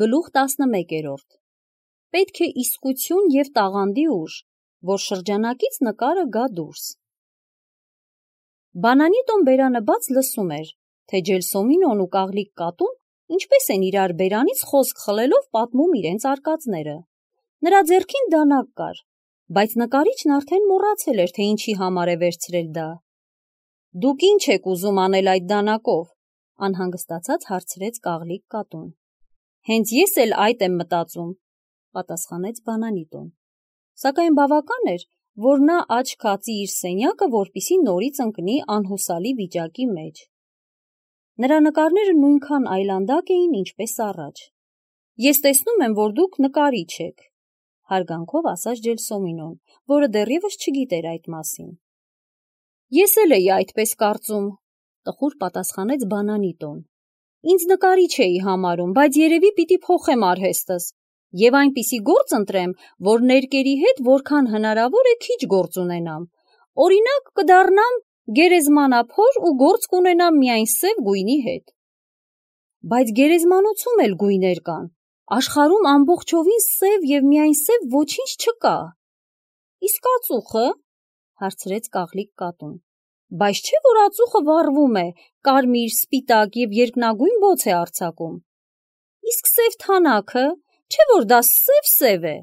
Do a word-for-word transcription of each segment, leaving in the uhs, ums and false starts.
Գլուխ տասնմեկերորդ Պետք է իսկություն և տաղանդի ուժ, որ շրջանակից նկարը գա դուրս։ Բանանիտոն բերանը բաց լսում էր, թե Ջելսոմինոն ու Կաղլիկ կատուն ինչպես են իրար բերանից խոսք խլելով պատմում իրենց արկածները։ Նրա ձեռքին դանակ կար, բայց նկարիչն արդեն մոռացել էր, թե ինչի համար է վերցրել դա։ Դուք ինչ եք ուզում անել այդ դանակով, անհանգստացած հարցրեց Կաղլիկ կատուն։ Հենց ես էլ այդ եմ մտածում, պատասխանեց Բանանիտոն։ Սակայն բավական էր, որ նա աչք հացի իր սենյակը, որպեսզի նորից ընկնի անհուսալի վիճակի մեջ։ Նրա նկարները նույնքան այլանդակ էին, ինչպես առաջ։ Ես տեսնում եմ, որ դուք նկարիչ եք, հարգանքով ասաց Ջելսոմինոն, որը դեռևս չգիտեր այդ մասին։ Ես էլ էի այդպես կարծում, տխուր պատասխանեց Բանանիտոն։ Ինձ նկարիչ էի համարում, բայց երևի պիտի փոխեմ արհեստս և այնպիսի գործ ընտրեմ, որ ներկերի հետ որքան հնարավոր է քիչ գործ ունենամ։ Օրինակ կդառնամ գերեզմանափոր ու գործ կունենամ միայն սև գույնի հետ։ Բայց գերեզմանոցում էլ գույներ կան։ Աշխարհում ամբողջովին սև և միայն սև ոչինչ չկա։ Իսկ ածուխը, հարցրեց Կաղլիկ կատուն։ Բայց չէ՞ որ ածուխը վառվում է, կարմիր, սպիտակ և երկնագույն բոց է արձակում։ Իսկ սև թանաքը, չէ՞ որ դա սև-սև է։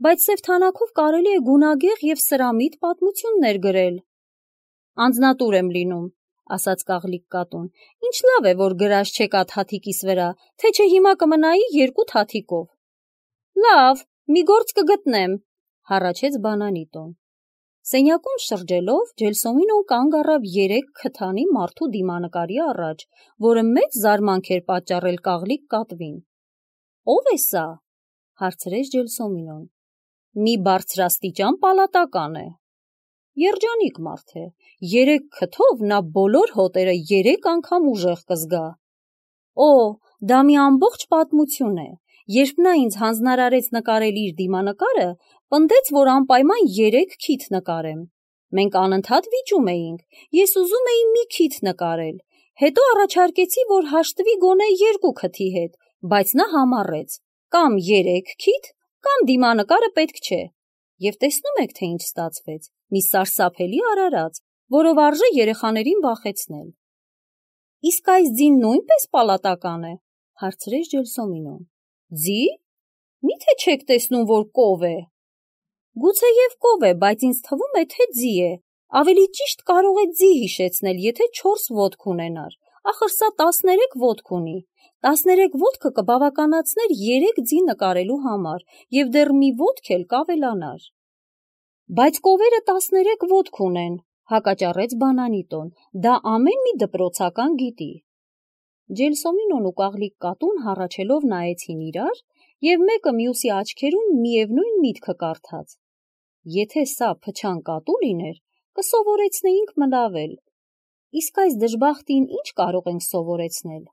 Բայց սև թանաքով կարելի է գունագեղ և սրամիտ պատմություններ գրել։ Անձնատուր եմ լինում, ասաց Կաղլիկ կատուն։ Ինչ լավ է, որ գրած չեք այդ հաթիկիս վրա, թե չէ հիմա կմնայի երկու թաթիկով։ Լավ, մի գործ կգտնեմ, հառաչեց Բանանիտոն։ Սենյակում շրջելով, Ջելսոմինոն կանգ առավ երեք քթանի մարդու դիմանկարի առաջ, որը մեծ զարմանք էր պատճառել Կաղլիկ կատվին։ Ո՞վ է սա, հարցրեց Ջելսոմինոն։ Մի բարձրաստիճան պալատական է։ Երջանիկ մարդ է, երեք քթով նա բոլոր հոտերը երեք անգամ ուժեղ կզգա։ Օ, դա մի ամբողջ պատմություն է։ Երբ նա ինձ հանձնարարեց նկարել իր դիմանկարը, պնդեց, որ անպայման երեք քիթ նկարեմ։ Մենք անընդհատ վիճում էինք, ես ուզում էի մի քիթ նկարել, հետո առաջարկեցի, որ հաշտվի գոնե երկու քթի հետ, բայց նա համառեց, կամ երեք քիթ, կամ դիմանկարը պետք չէ։ Եվ տեսնում եք, թե ինչ ստացվեց, մի սարսափելի արարած, որով արժե երեխաներին վախեցնել։ Իսկ այս ձին նույնպես պալատական է, հարցրեց Ջելսոմինոն։ Ձի՞։ Մի՞թե չեք տեսնում, որ կով է։ Գուցեև կով է, բայց ինձ թվում է, թե ձի է։ Ավելի ճիշտ կարող է ձի հիշեցնել, եթե չորս ոտք ունենար։ Ախր սա տասներեք ոտք ունի։ Տասներեք ոտքը կբավականացներ երեք ձի նկարելու համար, և դեռ մի ոտք էլ կավելանար։ Բայց կովերը տասներեք ոտք ունեն, հակաճառեց Բանանիտոն, դա ամեն մի դպրոցական գիտի։ Ջելսոմինոն ու Կաղլիկ կատուն հառաչելով նայեցին իրար, և մեկը մյուսի աչքերում միևնույն միտքը կարդաց։ Եթե սա փչան կատու լիներ, կսովորեցնեինք մլավել։ Իսկ այս դժբախտին ինչ կարող ենք սովորեցնել։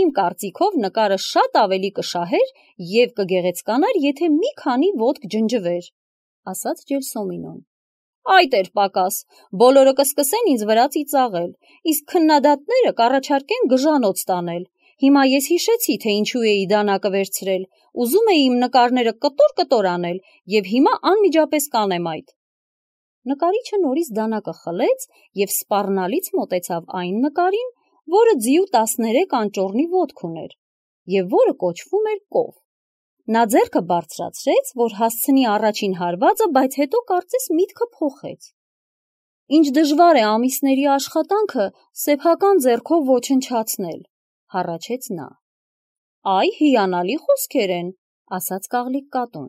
Իմ կարծիքով նկարը շատ ավելի կշահեր և կգեղեցկանար, եթե մի քանի ոտք ջնջվեր, ասաց Ջելսոմինոն։ Այդ էր պակաս, բոլորը կսկսեն ինձ վրա ծիծաղել, իսկ քննադատները կառաջարկեն գժանոց տանել։ Հիմա ես հիշեցի, թե ինչու էի դանակը վերցրել, ուզում էի իմ նկարները կտոր-կտոր անել, և հիմա անմիջապես կանեմ այդ։ Նկարիչը նորից դանակը խլեց և սպառնալից մոտեցավ այն նկարին, որը ձիու տասներեք անճոռնի ոտք ուներ, և որը կոչվում էր կով։ Նա ձեռքը բարձրացրեց, որ հասցնի առաջին հարվածը, բայց հետո կարծես միտքը փոխեց։ Ինչ դժվար է ամիսների աշխատանքը սեփական ձեռքով ոչնչացնել, հառաչեց նա։ Այ հիանալի խոսքեր են, ասաց Կաղլիկ կատուն։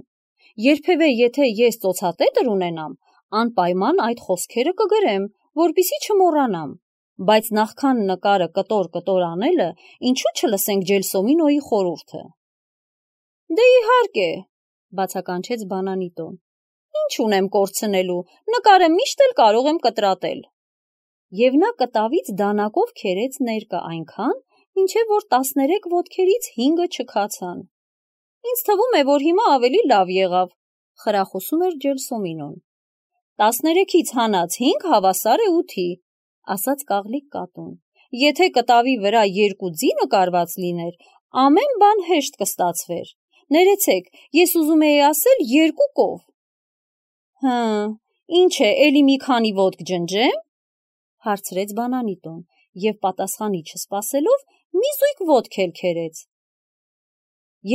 Երբևէ եթե ես ծոցատետր ունենամ, անպայման այդ խոսքերը կգրեմ, որպեսզի չմոռանամ, բայց նախքան նկարը կտոր-կտոր անելը, ինչու չլսենք Ջելսոմինոյի խորհուրդը։ Դե իհարկե, բացականչեց Բանանիտոն։ Ինչ ունեմ կորցնելու, նկարը միշտ էլ կարող եմ կտրատել։ Եվ նա կտավից դանակով քերեց ներկը այնքան, մինչև որ տասներեք ոտքերից հինգը չքացան։ Ինձ թվում է, որ հիմա ավելի լավ եղավ, խրախուսում էր Ջելսոմինոն։ Տասներեքից հանած հինգ հավասար է ութի, ասաց Կաղլիկ կատուն։ Եթե կտավի վրա երկու ձի նկարված լիներ, ամեն բան հեշտ կստացվեր։ Ներեցեք, ես ուզում էի ասել երկու կով։ Հը, ինչ է, էլի մի քանի ոտք ջնջեմ, հարցրեց Բանանիտոն եւ պատասխանի չսպասելով մի զույգ ոտք էլ քերեց։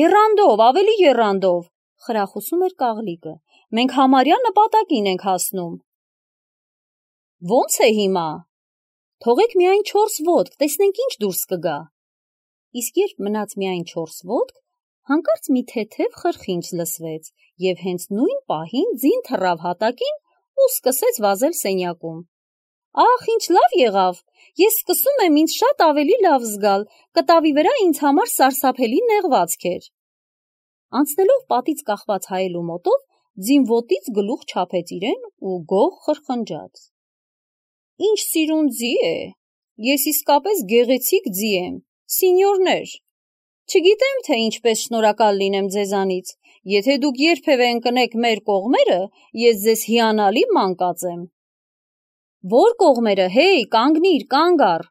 Եռանդով, ավելի եռանդով, խրախուսում էր Կաղլիկը, մենք համարյա նպատակին ենք հասնում։ Ոնց է հիմա։ Թողեք միայն չորս ոտք, տեսնենք ինչ դուրս կգա։ Իսկ երբ մնաց միայն չորս ոտք, հանկարծ մի թեթև խրխինջ լսվեց եւ հենց նույն պահին ձին թռավ հատակին ու սկսեց վազել սենյակում։ Ախ, ինչ լավ եղավ, ես սկսում եմ ինձ շատ ավելի լավ զգալ, կտավի վրա ինձ համար սարսափելի նեղվածք էր։ Անցնելով պատից կախված հայելու մոտով, ձին ոտից գլուխ չափեց իրեն ու գող խրխնջաց։ Ինչ սիրուն ձի է, ես իսկապես գեղեցիկ ձի եմ, սինյորներ, չգիտեմ, թե ինչպես շնորհակալ լինեմ ձեզանից, եթե դուք երբևէ ընկնեք մեր կողմերը, ես ձեզ հիանալի ման կածեմ։ Որ կողմերը, հեյ, կանգնիր, կանգ առ,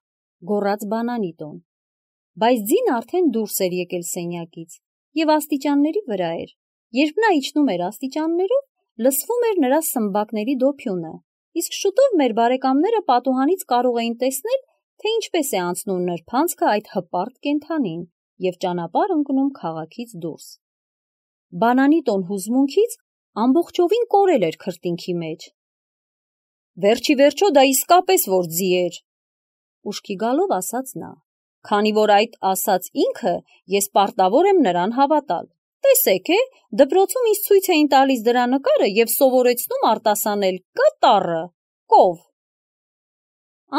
գոռաց Բանանիտոն, բայց ձին արդեն դուրս էր եկել սենյակից եւ աստիճանների վրա էր, երբ նա իջնում էր աստիճաններով, լսվում էր նրա սմբակների դոփյունը, իսկ շուտով մեր բարեկամները պատուհանից կարող էին տեսնել, թե ինչպես է անցնում նրբանցքը այդ հպարտ կենդանին եւ ճանապարհ ընկնում քաղաքից դուրս։ Բանանիտոն հուզմունքից ամբողջովին կորել էր քրտինքի մեջ։ Վերջի վերջո դա իսկապես որ ձի էր, ուշքի գալով ասաց նա, քանի որ այդ ասաց ինքը, ես պարտավոր եմ նրան հավատալ։ Տեսեք է, դպրոցում ինձ ցույց էին տալիս դրա նկարը եւ սովորեցնում արտասանել կտառը, կով։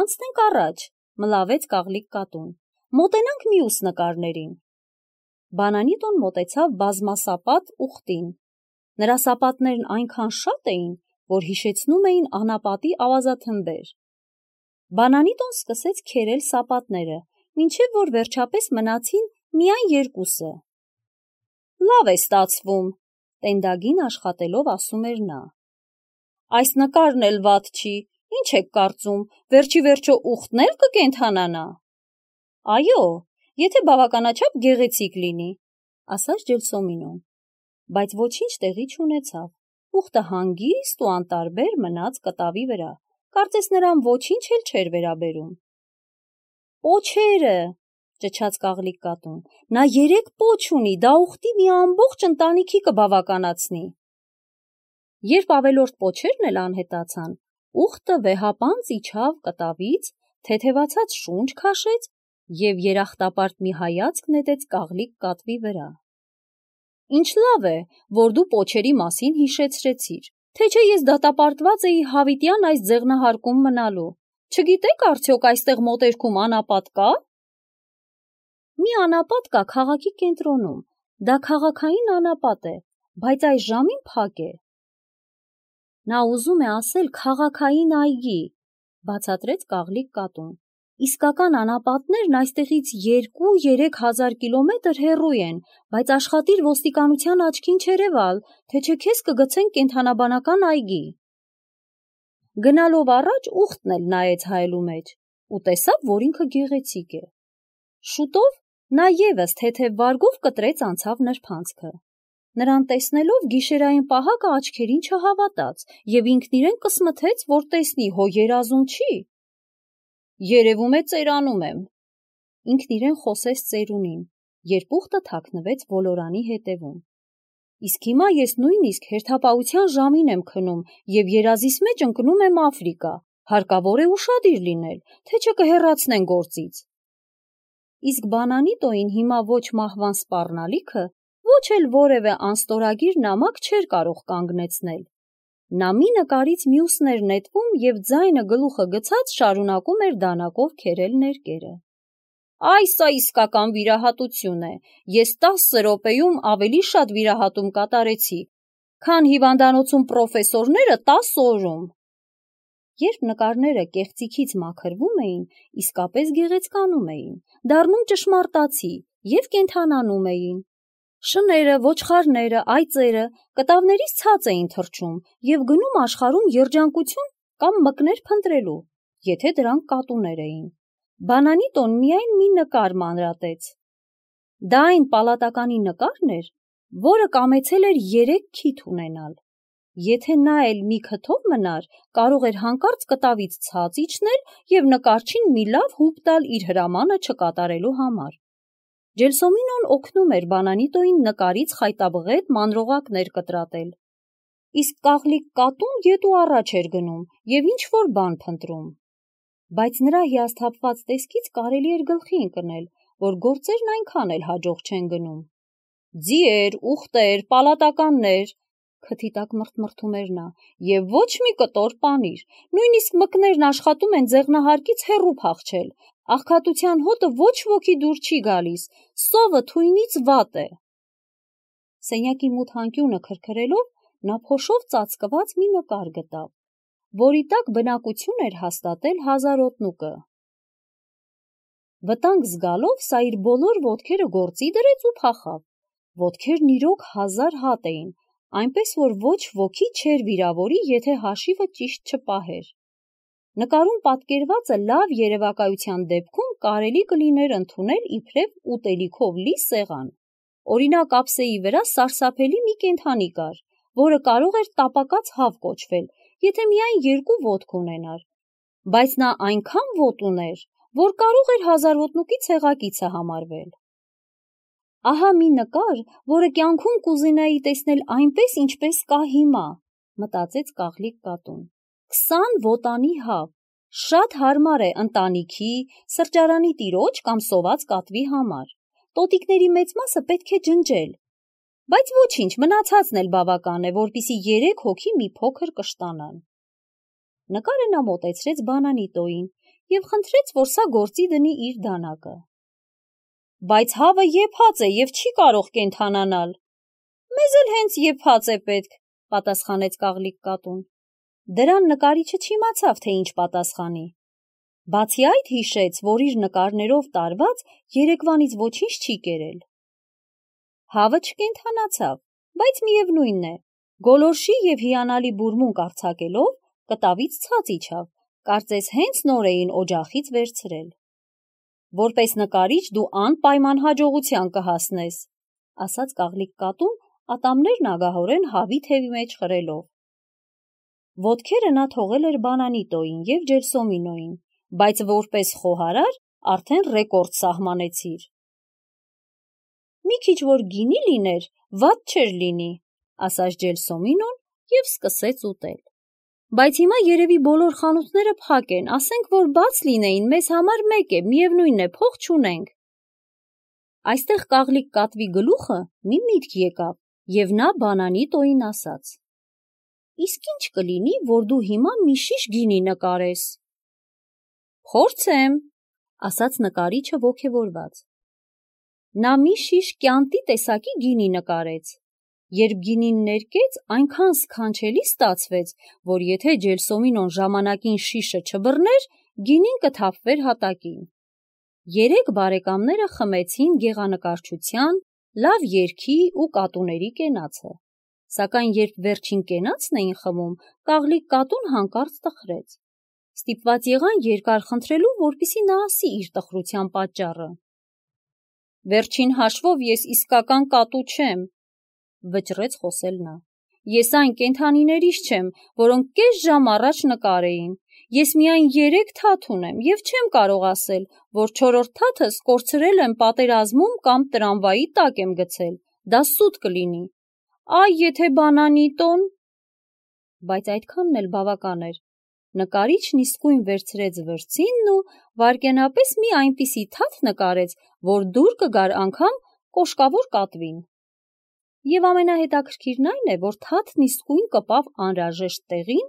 Անցնենք առաջ, մլավեց Կաղլիկ կատուն, մոտենանք մյուս նկարներին։ Բանանիտոն մոտեցավ բազմասապատ ուղտին։ Նրա սապատներն այնքան շատ էին, որ հիշեցնում էին անապատի ավազաթմբեր։ Բանանիտոն սկսեց քերել սապատները, մինչև որ վերջապես մնացին միայն երկուսը։ Լավ է ստացվում, տենդագին աշխատելով ասում էր նա։ Այս նկարն էլ վատ չի, ինչ եք կարծում, վերջի վերջո ուղտն էլ կկենդանանա։ Այո, եթե բավականաչափ գեղեցիկ լինի, ասաց Ջելսոմինոն, բայց ոչինչ տեղի չունեցավ։ Ուղտը հանգիստ ու անտարբեր մնաց կտավի վրա, կարծես նրան ոչինչ էլ չէր վերաբերում։ Պոչերը, ճչաց Կաղլիկ կատուն, նա երեք պոչ ունի, դա ուղտի մի ամբողջ ընտանիքի կբավականացնի։ Երբ ավելորդ պոչերն էլ անհետացան, ուղտը վեհապանծ իջավ կտավից, թեթևացած շունչ քաշեց եւ երախտապարտ մի հայացք նետեց Կաղլիկ կատվի վրա։ Ինչ լավ է, որ դու պոչերի մասին հիշեցրեցիր, թե չէ ես դատապարտված էի հավիտյան այս ձեղնահարկում մնալու։ Չգիտեք արդյոք այստեղ մոտերքում անապատ կա։ Մի անապատ կա քաղաքի կենտրոնում, դա քաղաքային անապատ է, բայց այս ժամին փակ է։ Նա ուզում է ասել քաղաքային այգի, բացատրեց Կաղլիկ կատուն։ Իսկական անապատներն այստեղից երկու-երեք հազար կիլոմետր հեռու են, բայց աշխատիր ոստիկանության աչքին չերևալ, թե չէ քեզ կգցեն կենդանաբանական այգի։ Գնալով առաջ ուղտն էլ նայեց հայելու մեջ ու տեսավ, որ ինքը գեղեցիկ է։ Շուտով նա եւս թեթև վարգով կտրեց անցավ նրբանցքը։ Նրան տեսնելով գիշերային պահակը աչքերին չհավատաց եւ ինքն իրեն կսմթեց, որ տեսնի հո երազում չի։ Երևում է ծերանում եմ։ Ինքն իրեն խոսեց ծերունին, երբ ուղտը թաքնվեց ոլորանի հետևում։ Իսկ հիմա ես նույնիսկ հերթապահության ժամին եմ քնում եւ երազիս մեջ ընկնում եմ Աֆրիկա, հարկավոր է ուշադիր լինել, թե չէ կհեռացնեն գործից։ Իսկ Բանանիտոին հիմա ոչ մահվան սպառնալիքը, ոչ էլ որևէ անստորագիր նամակ չէր կարող կանգնեցնել։ Նա մի նկարից մյուսն էր նետվում եւ ձայնը գլուխը գցած շարունակում էր դանակով քերել ներկերը։ Այս է իսկական վիրահատություն է, ես տասը րոպեում ավելի շատ վիրահատում կատարեցի, քան հիվանդանոցում պրոֆեսորները տասը օրում։ Երբ նկարները կեղծիքից մաքրվում էին, իսկապես գեղեցկանում էին, դառնում ճշմարտացի եւ կենդանանում էին։ Շները, ոչխարները, այծերը կտավներից ցած էին թռչում եւ գնում աշխարհում երջանկություն կամ մկներ փնտրելու, եթե դրանք կատուներ էին։ Բանանիտոն միայն մի նկար մանրատեց։ Դա այն պալատականի նկարն էր, որը կամեցել էր երեք քիթ ունենալ։ Եթե նա էլ մի քթով մնար, կարող էր հանկարծ կտավից ցած իջնել և նկարչին մի լավ հուպ տալ իր հրամանը չկատարելու համար։ Ջելսոմինոն օգնում էր Բանանիտոյին նկարից խայտաբղետ մանրողակներ կտրատել, իսկ կաղլիկ կատուն ետ ու առաջ էր գնում և ինչ-որ բան փնտրում։ Բայց նրա հիասթափված տեսքից կարելի էր գլխի ընկնել, որ գործերն այնքան էլ հաջող չեն գնում։ «Ձիեր, ուղտեր, պալատականներ», քթի տակ մրթմրթում էր նա, «և ոչ մի կտոր պանիր, նույնիսկ մկներն աշխատում են ձեղնահարկից հեռու փախչել, աղքատության հոտը ոչ ոքի դուր չի գալիս, սովը թույնից վատ է»։ Սենյակի մութ անկյունը քրքրելով, նա փոշով ծածկված մի նկար գտավ, որի տակ բնակություն էր հաստատել հազարոտնուկը։ Վտանգ զգալով սա իր բոլոր ոտքերը գործի դրեց ու փախավ։ Ոտքերն իրոք հազար հատ էին, այնպես որ ոչ ոքի չէր վիրավորի, եթե հաշիվը ճիշտ չպահեր։ Նկարում պատկերվածը լավ երևակայության դեպքում կարելի կլիներ ընդունել իբրև ուտելիքով լի սեղան։ Օրինակ, ափսեի վրա սարսափելի մի կենդանի կար, որը կարող էր տապակած հավ կոչվել, եթե միայն երկու ոտք ունենար, բայց նա այնքան ոտ ուներ, որ կարող էր հազարոտնուկի ցեղակիցը համարվել։ Ահա մի նկար, որը կյանքում կուզենայի տեսնել այնպես, ինչպես կա հիմա, մտածեց կաղլիկ կատուն։ Քսան ոտանի հավ, շատ հարմար է ընտանիքի, սրճարանի տիրոջ կամ սոված կատվի համար։ Տոտիկների մեծ մասը պետք է ջնջել, բայց ոչինչ, մնացածն էլ բավական է, որպեսզի երեք հոգի մի փոքր կշտանան։ Նկարը նա մոտեցրեց Բանանիտոյին և խնդրեց, որ սա գործի դնի իր դանակը։ Բայց հավը եփած է և չի կարող կենդանանալ։ Մեզ էլ հենց եփած է պետք, պատասխանեց կաղլիկ կատուն։ Դրան նկարիչը չիմացավ, թե ինչ պատասխանի։ Բացի այդ հիշեց, որ իր նկարներով տարված երեկվանից ոչինչ չի կերել։ Հավը չկենդանացավ, բայց միևնույն է, գոլորշի և հիանալի բուրմունք արձակելով, կտավից ցած իջավ, կարծես հենց նոր էին օջախից վերցրել։ Որպես նկարիչ դու անպայման հաջողության կհասնես, ասաց կաղլիկ կատուն, ատամներն ագահորեն հավի թևի մեջ խրելով։ Ոտքերը նա թողել էր Բանանիտոյին և Ջելսոմինոյին, բայց որպես խոհարար արդեն ռեկորդ սահմանեցիր։ Մի քիչ որ գինի լիներ, վատ չէր լինի, ասաց Ջելսոմինոն և սկսեց ուտել։ Բայց հիմա երևի բոլոր խանութները փակ են, ասենք, որ բաց լինեին, մեզ համար մեկ է, միևնույն է, փող չունենք։ Այստեղ կաղլիկ կատվի գլուխը մի միտք եկավ, և նա Բանանիտոյին ասաց. Իսկ ինչ կլինի, որ դու հիմա մի շիշ գինի նկարես։ Փորձեմ, ասաց նկարիչը ոգևորված։ Նա մի շիշ կյանտի տեսակի գինի նկարեց։ Երբ գինին ներկեց, այնքան սքանչելի ստացվեց, որ եթե Ջելսոմինոն ժամանակին շիշը չբռներ, գինին կթափվեր հատակին։ Երեք բարեկամները խմեցին գեղանկարչության, լավ երգի ու կատուների կենացը։ Սակայն երբ վերջին կենացն էին խմում, կաղլիկ կատուն հանկարծ տխրեց։ Ստիպված եղան երկար խնդրելու, որպեսզի նա ասի իր տխրության պատճառը։ Վերջին հաշվով ես իսկական կատու չեմ, վճռեց խոսել նա։ Ես այն կենդանիներից չեմ, որոնք կես ժամ առաջ նկար էին։ Ես միայն երեք թաթ ունեմ և չեմ կարող ասել, որ չորրորդ թաթս կորցրել եմ պատերազմում կամ տրամվայի տակ եմ գցել, դա սուտ կլինի։ Այ եթե Բանանիտոն… Բայց այդքանն էլ բավական էր։ Նկարիչն իսկույն վերցրեց վրձինն ու վայրկենապես մի այնպիսի թաթ նկարեց, որ դուր կգար անգամ կոշկավոր կատվին։ Եվ ամենահետաքրքիրն այն է, որ թաթն իսկույն կպավ անհրաժեշտ տեղին,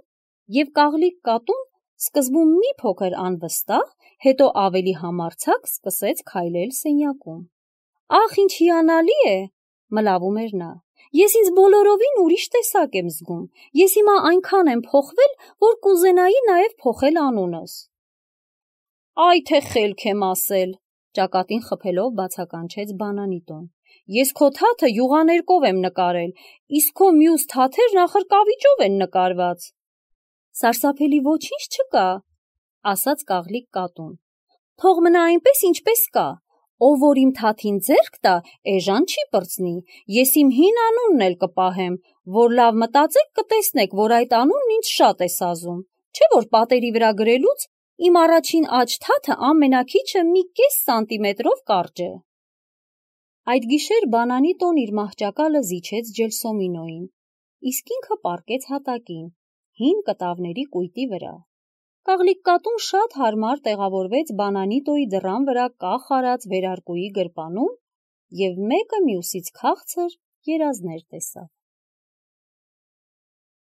և կաղլիկ կատուն սկզբում մի փոքր անվստահ, հետո ավելի համարձակ սկսեց քայլել սենյակում։ Ախ, ինչ հիանալի է, մլավում էր նա։ Ես ինձ բոլորովին ուրիշ տեսակ եմ զգում։ Ես հիմա այնքան եմ փոխվել, որ կուզենայի նաև փոխել անունս։ Այ թե խելք եմ ասել, ճակատին խփելով բացականչեց Բանանիտոն։ Ես քո թաթը յուղաներկով եմ նկարել, իսկ քո մյուս թաթերն ախր կավիճով են նկարված։ Սարսափելի ոչինչ չկա, ասաց կաղլիկ կատուն։ Թող մնա այնպես, ինչպես կա։ ով որ իմ թաթին ձեռք տա, էժան չի պրծնի, ես իմ հին անունն էլ կպահեմ, որ լավ մտածեք կտեսնեք, որ այդ անունն ինձ շատ է սազում, չէ որ պատերի վրա գրելուց իմ առաջին աջ թաթը ամենաքիչը մի կես սանտիմետրով կարճ է։ Այդ գիշեր բանանի տոն իր մահճակալը զիջեց Ջելսոմինոյին, իսկ ինքը պառկեց հատակին, հին կտավների կույտի վրա։ Կաղլիկ կատուն շատ հարմար տեղավորվեց բանանիտոյի դռան վրա կախ արած վերարկուի գրպանում և մեկը մյուսից քաղցր երազներ տեսավ։